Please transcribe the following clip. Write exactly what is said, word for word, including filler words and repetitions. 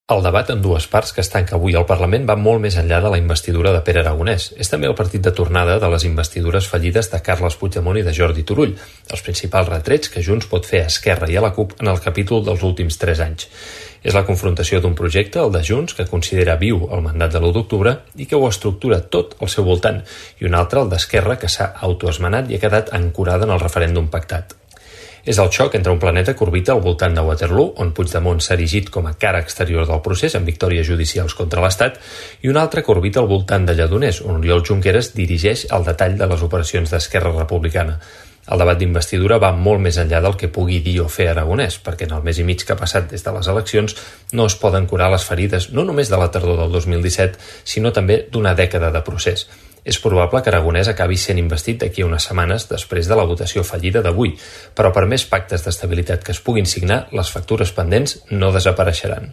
El debat en dues parts que es tanca avui al Parlament va molt més enllà de la investidura de Pere Aragonès. És també el partit de tornada de les investidures fallides de Carles Puigdemont i de Jordi Turull, els principals retrets que Junts pot fer a Esquerra i a la CUP en el capítol dels últims tres anys. És la confrontació d'un projecte, el de Junts, que considera viu el mandat de l'u d'octubre i que ho estructura tot al seu voltant, i un altre, el d'Esquerra, que s'ha autoesmenat i ha quedat ancorada en el referèndum pactat. És el xoc entre un planeta que orbita al voltant de Waterloo, on Puigdemont s'ha erigit com a cara exterior del procés amb victòries judicials contra l'Estat, i un altre que orbita al voltant de Lledoners, on Oriol Junqueras dirigeix el detall de les operacions d'Esquerra Republicana. El debat d'investidura va molt més enllà del que pugui dir o fer Aragonès, perquè en el mes i mig que ha passat des de les eleccions no es poden curar les ferides no només de la tardor del dos mil disset, sinó també d'una dècada de procés. És probable que Aragonès acabi sent investit d'aquí a unes setmanes després de la votació fallida d'avui, però per més pactes d'estabilitat que es puguin signar, les factures pendents no desapareixeran.